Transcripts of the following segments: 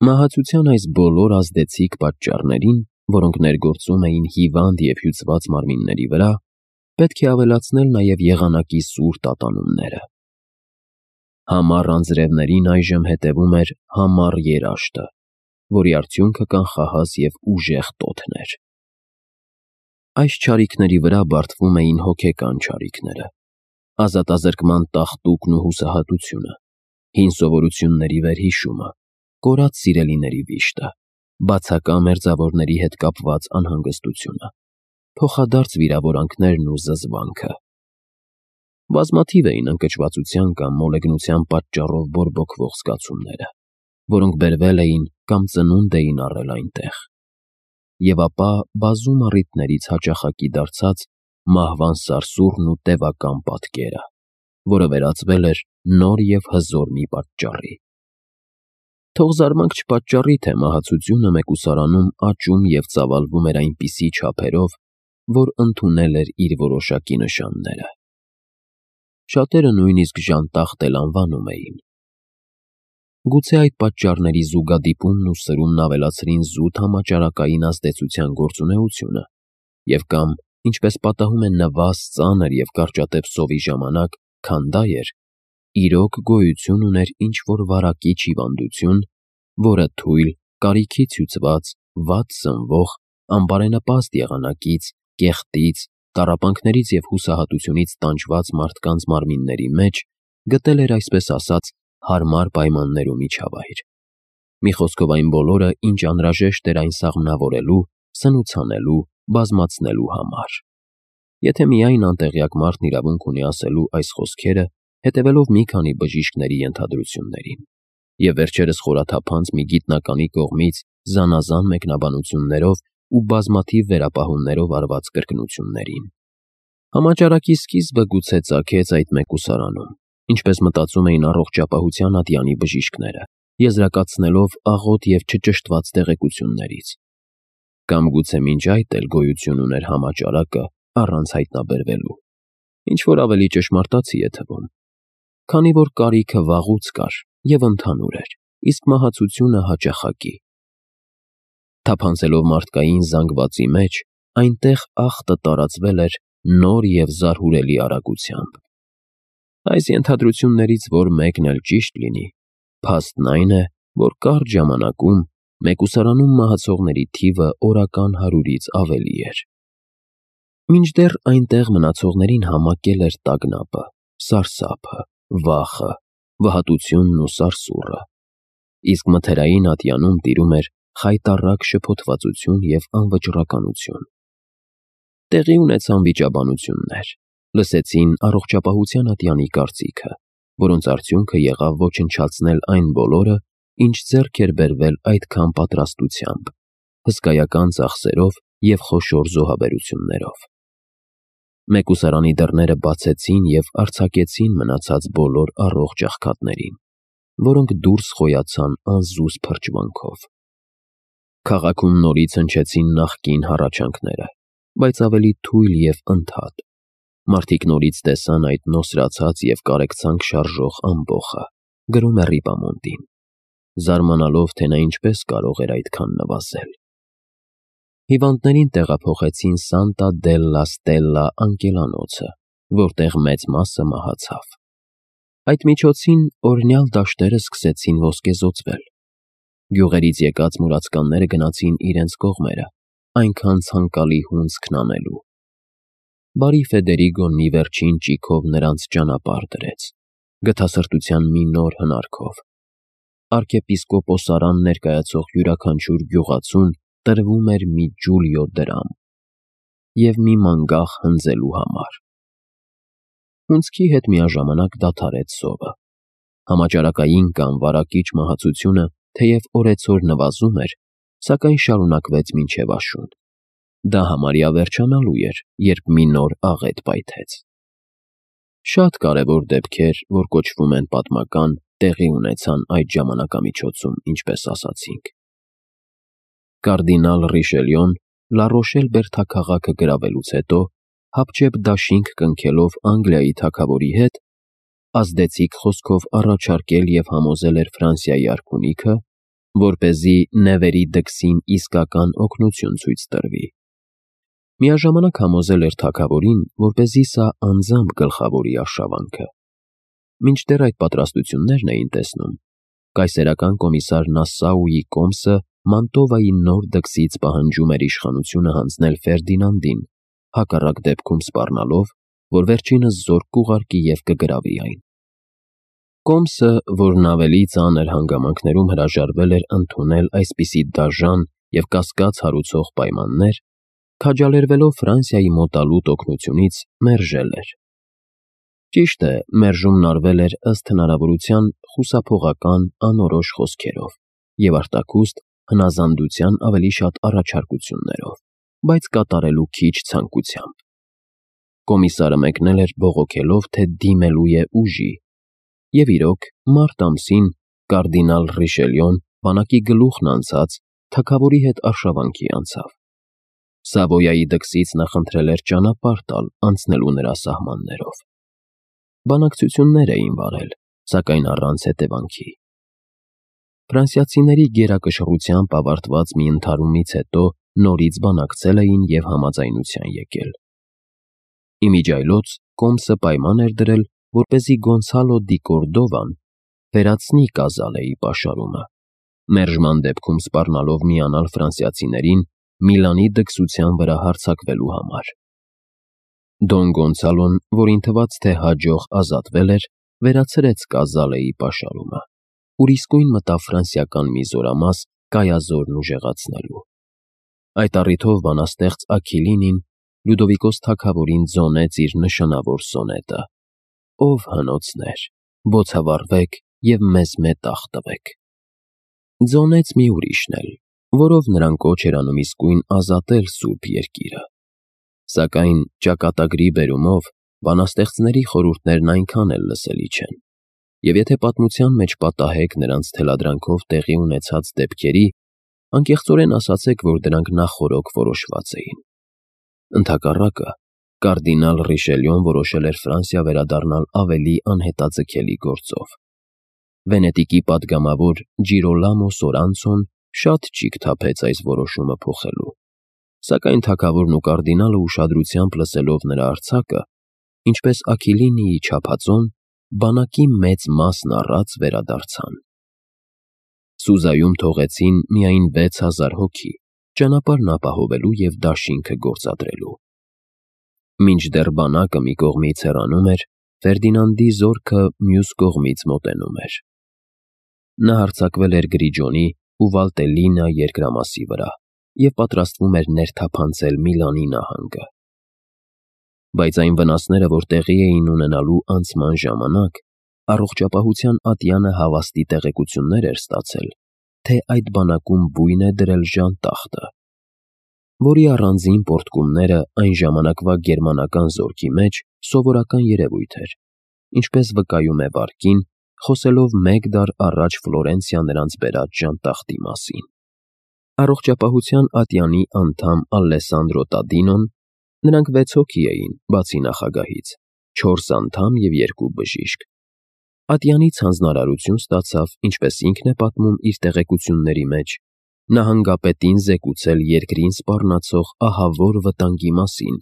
Մահացության այս բոլոր ազդեցիկ պատճառներին, որոնք ներգործում էին հիվանդ և հյուծված մարմինների վրա, պետք է ավելացնել նաև եղանակի սուր տատանումները։ Համառ անձրևներին այժմ հետևում էր համառ երաշտը, որի արդյունքը կանխահաս և ուժեղ տոթն էր։ Այս չարիքների վրա բարդվում էին հոգեկան չարիքները, ազատազրկման տաղտուկն ու հուսահատությունը, հին սովորությունների վերհիշումը, կորած սիրելիների վիշտը, բացակա մերձավորների հետ կապված անհանգստությունը, փոխադարձ վիրավորանքներն ու զզվանքը։ Բազմաթիվ էին ընկճվածության կամ մոլեգնության պատճառով բորբոքվող զգացումները, որոնք բերվել էին կամ ծնունդ էին առել այնտեղ, և ապա բազում առիթներից հաճախակի դարձած մահվան սարսուռն ու տևական պատկերը, որը վերածվել էր նոր և հզոր մի պատճառի։ Թող զարմանք չպատճառի, թե մահացությունը մեկուսարանում աճում և ծավալվում էր այնպիսի չափերով, որ ընդունել էր իր որոշակի նշանները։ Շատերը նույնիսկ ժանտախտ էլ անվանում էին։ Գուցե այդ պատճառների զուգադիպումն ու սրումն ավելացրին զուտ համաճարակային ազդեցության գործունեությունը և կամ, ինչպես պատահում է նվազ, ծանր և կարճատև սովի ժամանակ, քանդա էր, իրոք գոյություն ուներ ինչ-որ վարակիչ հիվանդություն, որը թույլ, կարիքից հյուծված, վատ սնվող, անբարենպաստ եղանակից, կեղտից, տառապանքներից և հուսահատությունից տանջված մարդկանց մարմինների մեջ գտել էր, այսպես ասած, հարմար պայմաններ ու միջավայր։ Մի խոսքով այն բոլորը, ինչ անհրաժեշտ էր այն սաղմնավորելու, սնուցանելու, բազմացնելու համար։ Եթե միայն անտեղյակ մարդն իրավունք ունի ասելու այս խոսքերը, հետևելով մի քանի բժիշկների ենթադրություններին, և վերջերս խորաթափանց մի գիտնականի կողմից զանազան մեկնաբանություններով ու բազմաթիվ վերապահումներով արված կրկնություններին։ Համաճարակի սկիզբը գուցե ծագեց այդ մեկուսարանում, ինչպես մտածում էին առողջապահության ատյանի բժիշկները, եզրակացնելով աղոտ և չճշտված տեղեկություններից։ Կամ գուցե մինչ այդ էլ գոյություն ուներ համաճարակը առանց հայտնաբերվելու, ինչ-որ ավելի ճշմարտացի է թվում, քանի որ կարիքը վաղուց կար և ընդհանուր էր, իսկ մահացությունը հաճախակի։ Թափանցելով մարդկային զանգվածի մեջ, այնտեղ ախտը տարածվել էր նոր և զարհուրելի արագությամբ։ Այս ենթադրություններից որ մեկն էլ ճիշտ լինի, փաստն այն է, որ կարճ ժամանակում մեկուսարանում մահացողների թիվը օրական 100-ից ավելի էր։ Մինչդեռ այնտեղ մնացողներին համակել էր տագնապը, սարսափը, վախը, վհատությունն ու սարսուռը, իսկ մթերային ատյանում տիրում էր խայտառակ շփոթվածություն և անվճռականություն։ Տեղի ունեցան վիճաբանություններ, լսեցին առողջապահության ատյանի կարծիքը, որոնց արդյունքը եղավ ոչնչացնել այն բոլորը, ինչ ձեռք էր բերվել այդքան պատրաստությամբ, հսկայական ծախսերով և խոշոր զոհաբերություններով։ Մեկուսարանի դռները բացեցին և արձակեցին մնացած բոլոր առողջ աղքատներին, որոնք դուրս խոյացան անզուզ փրճվանքով։ Քաղաքում նորից հնչեցին նախկին հառաչանքները, բայց ավելի թույլ և ընդհատ։ Մարդիկ նորից տեսան այդ նոսրացած և կարեկցանք շարժող ամբոխը, գրում է Ռիպամոնդին, զարմանալով, թե նա ինչպես կարող էր այդքան նվազել։ Հիվանդներին տեղափոխեցին Սանտա դելլա Ստելլա անկելանոցը, որտեղ մեծ մասը մահացավ։ Այդ միջոցին օրհնյալ դաշտերը սկսեցին ոսկեզօծվել։ Գյուղերից եկած մուրացկանները գնացին իրենց կողմերը, այնքան ցանկալի հունձքն անելու։ Բարի Ֆեդերիգոն մի վերջին ճիգով նրանց ճանապարհ դրեց, գթասրտության մի նոր հնարքով։ Արքեպիսկոպոսարան ներկայացող յուրաքանչյուր գյուղացուն տրվում էր մի ջուլիո դրամ և մի մանգաղ հնձելու համար։ Հունձքի հետ միաժամանակ դադարեց սովը։ Համաճարակային կամ վարակիչ մահացությունը, թեև օրեցօր նվազում էր, սակայն շարունակվեց մինչև աշուն։ Դա համարյա վերջանալու էր, երբ մի նոր աղետ պայթեց։ Շատ կարևոր դեպքեր, որ կոչվում են պատմական, տեղի ունեցան այդ ժամանակամիջոցում, ինչպես ասացինք։ Կարդինալ Ռիշելյոն Լարոշել բերդաքաղաքը գրավելուց հետո, հապճեպ դաշինք կնքելով Անգլիայի թագավորի հետ, ազդեցիկ խոսքով առաջարկել և համոզել էր Ֆրանսիայի արքունիքը, որպեսզի Նևերի դքսին իսկական օգնություն ցույց տրվի։ Միաժամանակ համոզել էր թագավորին, որպեսզի սա անձամբ գլխավորի արշավանքը։ Մինչդեռ այդ պատրաստություններն էին տեսնում, կայսերական կոմիսար Նասսաուի կոմսը Մանտովայի նոր դքսից պահանջում էր իշխանությունը հանձնել Ֆերդինանդին, հակառակ դեպքում սպառնալով, որ վերջինս զորք կուղարկի և կգրավի այն։ Կոմսը, որն ավելի ծանր հանգամանքներում հրաժարվել էր ընդունել այսպիսի դաժան և կասկած հարուցող պայմաններ, քաջալերվելով Ֆրանսիայի մոտալուտ օգնությունից, մերժել էր։ Ճիշտ է, մերժումն արվել էր ըստ հնարավորության խուսափողական, անորոշ խոսքերով և արտաքուստ հնազանդության ավելի շատ առաջարկություններով, բայց կատարելու քիչ ցանկությամբ։ Կոմիսարը մեկնել էր բողոքելով, թե դիմելու է ուժի, և իրոք, մարտ ամսին կարդինալ Ռիշելյոն բանակի գլուխն անցած թագավորի հետ արշավանքի անցավ։ Սավոյայի դքսից նա խնդրել էր ճանապարհ տալ անցնելու նրա սահմաններով։ Բանակցություններ էին վարել, սակայն առանց հետևանքի։ Ֆրանսիացիների գերակշռությամբ ավարտված մի ընդհարումից հետո նորից բանակցել էին և համաձայնության եկել։ Իմիջիայլոց կոմսը պայման էր դրել, որպեսզի Գոնսալո դի Կորդովան վերացնի Կազալեի պաշարումը, մերժման դեպքում սպառնալով միանալ ֆրանսիացիներին Միլանի դքսության վրա հարձակվելու համար։ Դոն Գոնսալոն, որին թվաց, թե հաջող ազատվել էր, վերացրեց Կազալեի պաշարումը, ուր իսկույն մտավ ֆրանսիական մի զորամաս Կայազորն ուժեղացնելու։ Այդ առիթով բանաստեղծ Աքիլինին Լյուդովիկոս թագավորին ձոնեց իր նշանավոր սոնետը. «Ով հնոցներ, բոցավառվեք և մեզ մետաղ տվեք»։ Ձոնեց մի ուրիշն էլ, որով նրան կոչ էր անում իսկույն ազատել սուրբ երկիրը։ Սակայն ճակատագրի բերումով բանաստեղծների խորհուրդներն այնքան էլ լսելի չեն, և եթե պատմության մեջ պատահեք նրանց թելադրանքով տեղի ունեցած դեպքերի, անկեղծորեն ասացեք, որ դրանք նախօրոք որոշված էին։ Ընդհակառակը, կարդինալ Ռիշելյոն որոշել էր Ֆրանսիա վերադառնալ ավելի անհետաձգելի գործով։ Վենետիկի պատգամավոր Ջիրոլամո Սորանցոն շատ ճիգ թափեց այս որոշումը փոխելու, սակայն թագավորն ու կարդինալը ուշադրությամբ լսելով նրա արձակը, ինչպես Աքիլինիի չափածոն, բանակի մեծ մասն առած վերադարձան։ Սուզայում թողեցին միայն 6000 հոգի, ճանապարհն ապահովելու և դաշինքը գործադրելու։ Մինչդեռ բանակը մի կողմից հեռանում էր, Ֆերդինանդի զորքը մյուս կողմից մոտենում էր։ Նա հարձակվել էր Գրիջոնի ու Վալտելլինա երկրամասի վրա և պատրաստվում էր ներթափանցել Միլանի նահանգը։ Բայց այն վնասները, որ տեղի էին ունենալու անցման ժամանակ, առողջապահության ատյանը հավաստի տեղեկություններ էր ստացել, թե այդ բանակում բույն է դրել ժանտախտը, որի առանձին պոռթկումները այն ժամանակվա գերմանական զորքի մեջ սովորական երևույթ էր, ինչպես վկայում է Վարկին, խոսելով մեկ դար առաջ Ֆլորենցիա նրանց բերած ժանտախտի մասին։ Առողջապահության ատյանի անդամ Ալեսանդրո Տադինոն, նրանք 6 հոգի էին, բացի նախագահից, 4 անդամ և 2 բժիշկ, ատյանից հանձնարարություն ստացավ, ինչպես ինքն է պատմում իր տեղեկությունների մեջ, նահանգապետին զեկուցել երկրին սպառնացող ահավոր վտանգի մասին,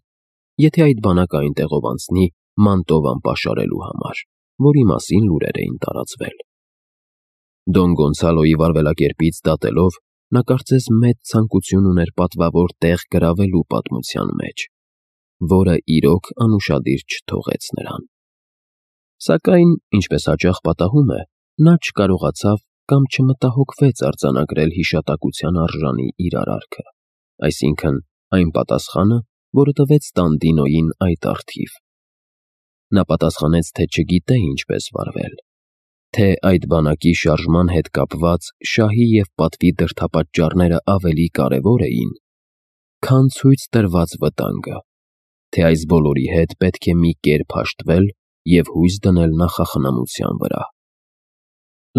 եթե այդ բանակը այնտեղով անցնի Մանտովան պաշարելու համար, որի մասին լուրեր էին տարածվել։ Դոն Գոնսալոյի վարվելակերպից դատելով, նա կարծես մեծ ցանկություն ուներ պատվավոր տեղ գրավելու պատմության մեջ, որը իրոք անուշադիր չթողեց նրան։ Սակայն, ինչպես հաճախ պատահում է, նա չկարողացավ կամ չմտահոգվեց արձանագրել հիշատակության արժանի իր արարքը, այսինքն այն պատասխանը, որը տվեց Տանդինոյին այդ առթիվ։ Նա պատասխանեց, թե չգիտե ինչպես վարվել, թե այդ բանակի շարժման հետ կապված շահի և պատվի դրդապատճառները ավելի կարևոր էին, քան ցույց տրված վտանգը, թե այս բոլորի հետ պետք է մի կերպ հաշտվել և հույս դնել նախախնամության վրա։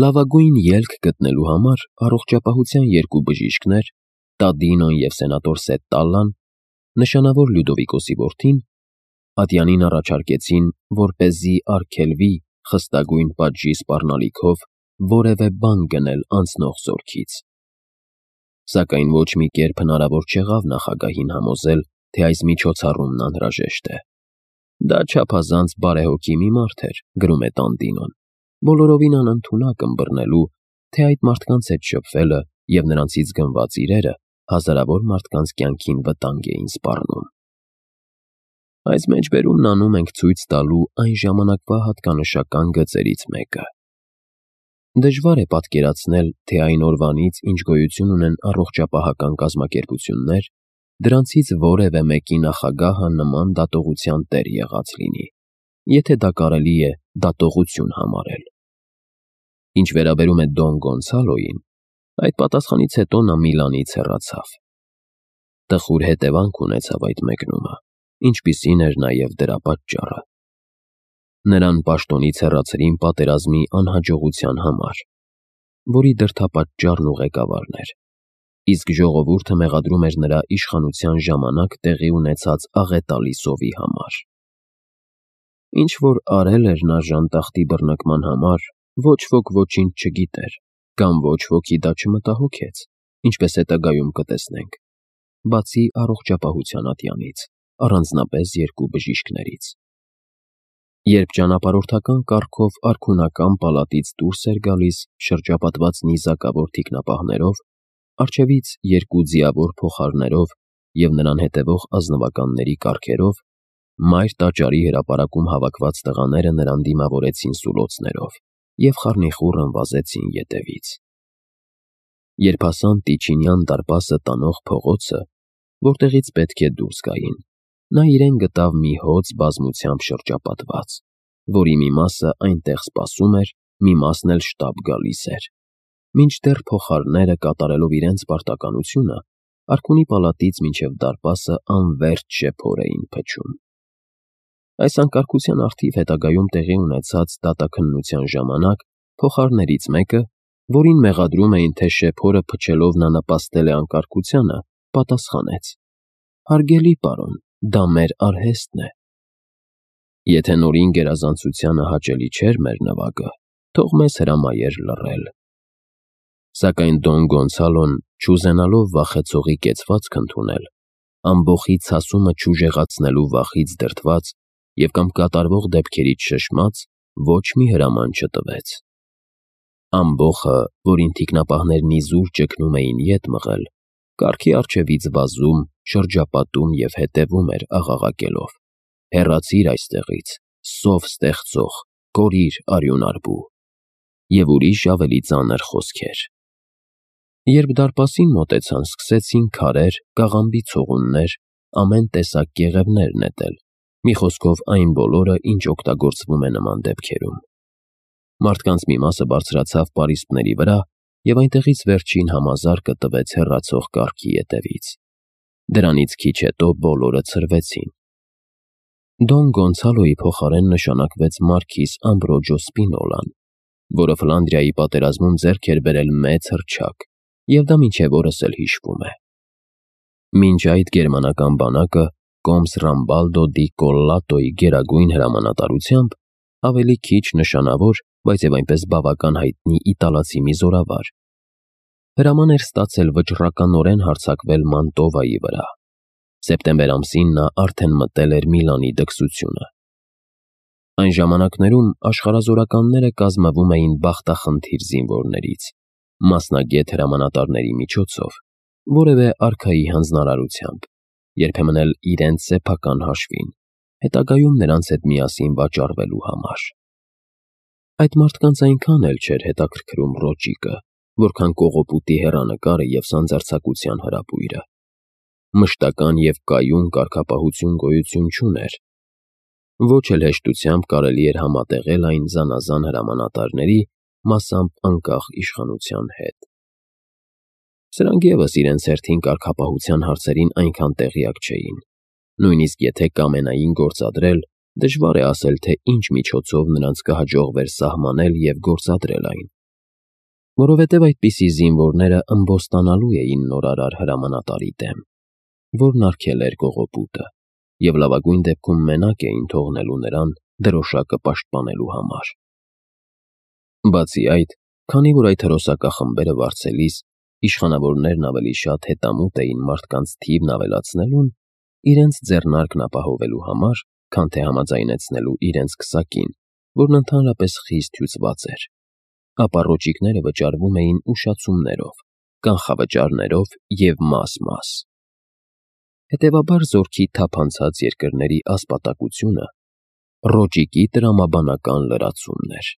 Լավագույն ելք գտնելու համար առողջապահության 2 բժիշկներ, Տադինոն և սենատոր Սետտալլան, նշանավոր Լյուդովիկոսի որդին, ատյանին առաջարկեցին, որպեսզի արգելվի խստագույն պատժի սպառնալիքով որևէ բան գնել անցնող զորքից։ Սակայն ոչ մի կերպ հնարավոր չեղավ նախագահին համոզել, թե այս միջոցառումն անհրաժեշտ է։ Դա չափազանց բարեհոգի մի մարդ էր, գրում է Տանտինոն, բոլորովին անընդունակ ըմբռնելու, թե այդ մարդկանց հետ շփվելը և նրանցից գնված իրերը հազարավոր մարդկանց կյանքին վտանգ էին սպառնում։ Այս մեջբերումն անում ենք ցույց տալու այն ժամանակվա հատկանշական գծերից մեկը։ Դժվար է պատկերացնել, թե այն օրվանից, ինչ գոյություն ունեն առողջապահական կազմակերպություններ, դրանցից որևէ մեկի նախագահը նման դատողության տեր եղած լինի, եթե դա կարելի է դատողություն համարել։ Ինչ վերաբերում է Դոն Գոնսալոյին, այդ պատասխանից հետո նա Միլանից հեռացավ։ Տխուր հետևանք ունեցավ այդ մեկնումը, ինչպիսին էր նաև դրա պատճառը։ Նրան պաշտոնից հեռացրին պատերազմի անհաջողության համար, որի դրդապատճառն ու ղեկավարն էր, իսկ ժողովուրդը մեղադրում էր նրա իշխանության ժամանակ տեղի ունեցած աղետալի սովի համար։ Ինչ որ արել էր նա ժանտախտի բռնկման համար, ոչ ոք ոչինչ չգիտեր, կամ ոչ ոքի դա չմտահոգեց, ինչպես հետագայում կտեսնենք, բացի առողջապահության ատյանից, առանձնապես երկու բժիշկներից։ Երբ ճանապարհորդական կառքով արքունական պալատից դուրս էր գալիս շրջապատված նիզակավոր թիկնապահներով, առջևից երկու ձիավոր փոխարներով և նրան հետևող ազնվականների կառքերով, մայր տաճարի հրապարակում հավաքված տղաները նրան դիմավորեցին սուլոցներով և խառնիխուռն վազեցին ետևից։ Երբ հասան Տիչինյան դարպասը տանող փողոցը, որտեղից պետք է դուրս գային, նա իրեն գտավ մի հոծ բազմությամբ շրջապատված, որի մի մասը այնտեղ սպասում էր, մի մասն էլ շտապ գալիս էր, մինչդեռ փոխարները կատարելով իրենց պարտականությունը, արքունի պալատից մինչև դարպասը անվերջ շեփոր էին փչում։ Այս անկարգության առթիվ հետագայում տեղի ունեցած դատաքննության ժամանակ փոխարներից մեկը, որին մեղադրում էին, թե շեփորը փչելով նա նպաստել է անկարգությանը, պատասխանեց. «Հարգելի պարոն, դա մեր արհեստն է»։ Եթե նորին գերազանցությանը հաճելի չէր մեր նվագը, թող մեզ հրամայեր լռել։ Սակայն Դոն Գոնսալոն, չուզենալով վախեցողի կեցվածք ընդունել, ամբոխի ցասումը չուժեղացնելու վախից դրդված և կամ կատարվող դեպքերից շշմած, ոչ մի հրաման չտվեց։ Ամբոխը, որին թիկնապահներն իզուր ճգնում էին ետ մղել, կառքի առջևից վազում, շրջապատում և հետևում էր աղաղակելով. «Հեռացիր այստեղից, սով ստեղծող, կորիր արյունարբու» և ուրիշ ավելի ծանր խոսքեր։ Երբ դարպասին մոտեցան, սկսեցին քարեր, կաղամբի ցողուններ, ամեն տեսակ կեղևներ նետել, մի խոսքով այն բոլորը, ինչ օգտագործվում է նման դեպքերում։ Մարդկանց մի մասը բարձրացավ պարիսպների վրա և այնտեղից վերջին համազարկը տվեց հեռացող կառքի ետևից։ Դրանից քիչ հետո բոլորը ցրվեցին։ Դոն Գոնսալոյի փոխարեն նշանակվեց մարքիզ Ամբրոջո Սպինոլան, որը Ֆլանդրիայի պատերազմում ձեռք էր բերել մեծ հռչակ, և դա մինչև օրս էլ հիշվում է։ Մինչ այդ գերմանական բանակը կոմս Ռամբալդո դի Կոլլատոյի գերագույն հրամանատարությամբ ավելի քիչ նշանավոր, բայց և այնպես բավական հայտնի իտալացի մի զորավար, հրաման էր ստացել վճռականորեն հարձակվել Մանտովայի վրա։ Սեպտեմբեր ամսին նա արդեն մտել էր Միլանի դքսությունը։ Այն ժամանակներում աշխարհազորականները կազմվում էին բախտախնդիր զինվորներից, մասնագետ հրամանատարների միջոցով, որևէ արքայի հանձնարարությամբ, երբեմն էլ իրենց սեփական հաշվին, հետագայում նրանց հետ միասին վաճառվելու համար։ Այդ մարդկանց այնքան էլ չէր հետաքրքրում ռոճիկը, որքան կողոպուտի հեռանկարը և սանձարձակության հրապույրը։ Մշտական և կայուն կարգապահություն գոյություն չուներ։ Ոչ էլ հեշտությամբ կարելի էր համատեղել այն զանազան հրամանատարների, մասամբ անկախ իշխանության հետ։ Սրանք ևս իրենց հերթին կարգապահության հարցերին այնքան տեղյակ չէին։ Նույնիսկ եթե կամենային գործադրել, դժվար է ասել, թե ինչ միջոցով նրանց կհաջողվեր սահմանել և գործադրել այն։ Որովհետև այդպիսի զինվորները ըմբոստանալու էին նորարար հրամանատարի դեմ, որն արգել էր կողոպուտը, և լավագույն դեպքում մենակ էին թողնելու նրան դրոշակը պաշտպանելու համար։ Բացի այդ, Քանի որ այդ հրոսակախմբերը վարձելիս իշխանավորներն ավելի շատ հետամուտ էին մարդկանց թիվն ավելացնելուն, իրենց ձեռնարկն ապահովելու համար, քան թե համաձայնեցնելու իրենց քսակին, որն ընդհանրապես խիստ հյուծված էր, ապա ռոճիկները վճարվում էին ուշացումներով, կանխավճարներով և մաս-մաս։ Հետևաբար զորքի թափանցած երկրների ասպատակությունը ռոճիկի տրամաբանական լրացումն էր։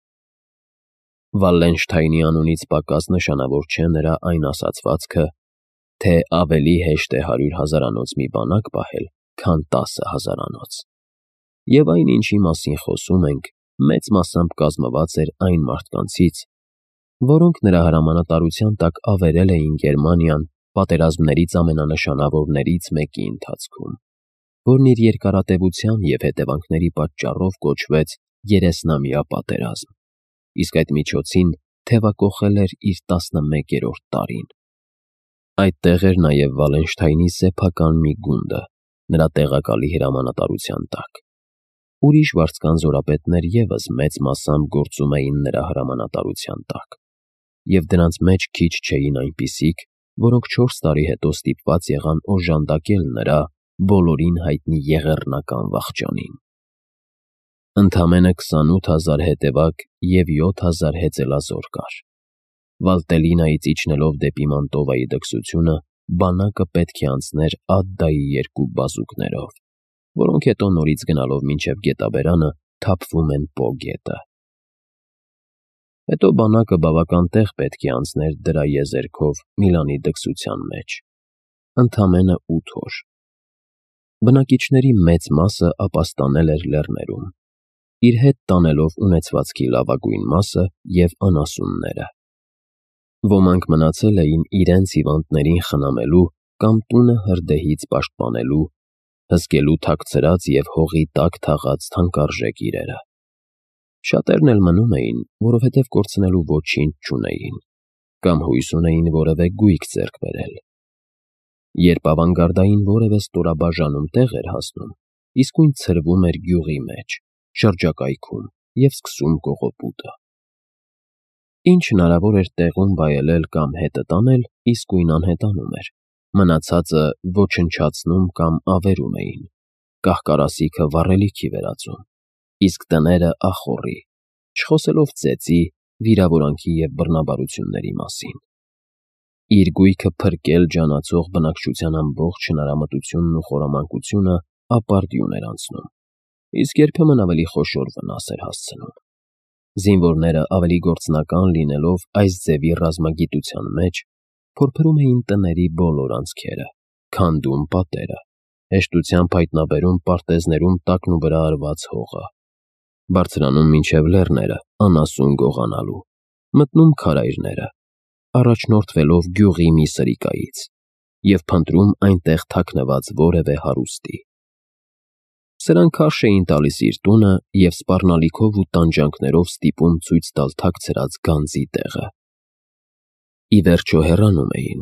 Վալլենշթայնի անունից պակաս նշանավոր չէ նրա այն ասացվածքը, թե ավելի հեշտ է 100,000-անոց մի բանակ պահել, քան 10,000-անոց։ Եվ այն, ինչի մասին խոսում ենք, մեծ մասամբ կազմված էր այն մարդկանցից, որոնք նրա հրամանատարության տակ ավերել էին Գերմանիան պատերազմներից ամենանշանավորներից մեկի ընթացքում, որն իր երկարատևության և հետևանքների պատճառով կոչվեց Երեսնամյա պատերազմ, իսկ այդ միջոցին թևակոխել էր իր 11-րդ տարին։ Այդտեղ էր նաև Վալենշթայնի սեփական մի գունդը, նրա տեղակալի հրամանատարության տակ։ Ուրիշ վարձկան զորապետներ ևս մեծ մասամբ գործում էին նրա հրամանատարության տակ, և դրանց մեջ քիչ չէին այնպիսիք, որոնք 4 տարի հետո ստիպված եղան օժանդակել նրա բոլորին հայտնի եղեռնական վախճանին։ Ընդամենը 28,000 հետևակ և 7,000 հեծելազոր կար։ Վալտելինայից իջնելով դեպի Մանտովայի դքսությունը, բանակը պետք է անցներ Ադդայի 2 բազուկներով, որոնք հետո նորից գնալով մինչև գետաբերանը թափվում են Պո գետը։ Հետո բանակը բավական տեղ պետք է անցներ դրա եզերքով Միլանի դքսության մեջ։ Ընդամենը 8 օր։ Բնակիչների մեծ մասը ապաստանել էր լեռներում, իր հետ տանելով ունեցվածքի լավագույն մասը և անասունները։ Ոմանք մնացել էին իրենց հիվանդներին խնամելու կամ տունը հրդեհից պաշտպանելու, հսկելու թաքցրած և հողի տակ թաղած թանկարժեք իրերը։ Շատերն էլ մնում էին, որովհետև կորցնելու ոչինչ չունեին, կամ հույս ունեին որևէ գույք ձեռք բերել։ Երբ ավանգարդային որևէ ստորաբաժանում տեղ էր հասնում, իսկույն ցրվում էր գյուղի մեջ, շրջակայքում և սկսում կողոպուտը։ Ինչ հնարավոր էր տեղում վայելել կամ հետը տանել, իսկույն անհետանում էր, մնացածը ոչնչացնում կամ ավերում էին, կահ-կարասիքը վառելիքի վերածում, իսկ տները ախոռի, չխոսելով ծեծի, վիրավորանքի և բռնաբարությունների մասին։ Իր գույքը փրկել ջանացող բնակչության ամբողջ հնարամտությունն ու խորամանկությունը ապարդյուն էր անցնում, իսկ երբեմն ավելի խոշոր վնաս էր հասցնում։ Զինվորները ավելի գործնական լինելով այս ձևի ռազմագիտության մեջ, փորփրում էին տների բոլոր անցքերը, քանդում պատերը, հեշտությամբ հայտնաբերում պարտեզներում տակնուվրա արված հողը, բարձրանում մինչև լեռները անասուն գողանալու, մտնում քարայրները, առաջնորդվելով գյուղի մի սրիկայից և փնտրում այնտեղ թաքնված որևէ հարուստի։ Սրանք քարշ էին տալիս իր տունը և սպառնալիքով ու տանջանքներով ստիպում ցույց տալ թաքցրած գանձի տեղը։ Ի վերջո հեռանում էին։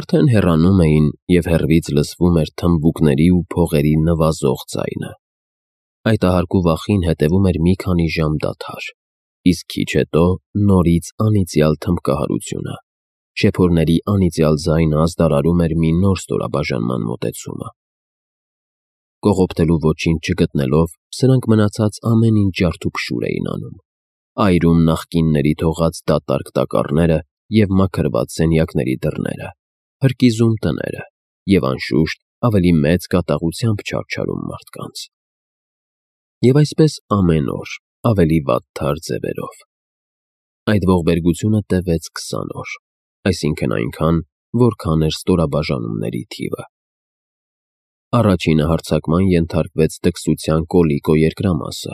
Արդեն հեռանում էին, և հեռվից լսվում էր թմբուկների ու փողերի նվազող ձայնը։ Այդ ահարկու վախին հետևում էր մի քանի ժամ դադար, իսկ քիչ հետո նորից անիծյալ թմբկահարությունը, շեփորների անիծյալ ձայնը ազդարարում էր մի նոր ստորաբաժանման մոտեցումը։ Կողոպտելու ոչինչ չգտնելով, սրանք մնացած ամեն ինչ ջարդուփշուր էին անում, այրում նախկինների թողած դատարկ տակառները և մաքրված սենյակների դռները, հրկիզում տները և, անշուշտ, ավելի մեծ կատաղությամբ չարչարում մարդկանց։ Եվ այսպես ամեն օր, ավելի վատթար ձևերով։ Այդ ողբերգությունը տևեց 20 օր, այսինքն այնքան, որքան էր ստորաբաժանումների թիվը։ Առաջինը հարձակման ենթարկվեց դքսության Կոլիկո երկրամասը։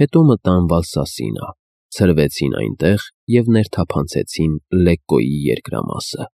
Հետո մտան Վալսասինա, ցրվեցին այնտեղ և ներթափանցեցին Լեկկոյի երկրամասը։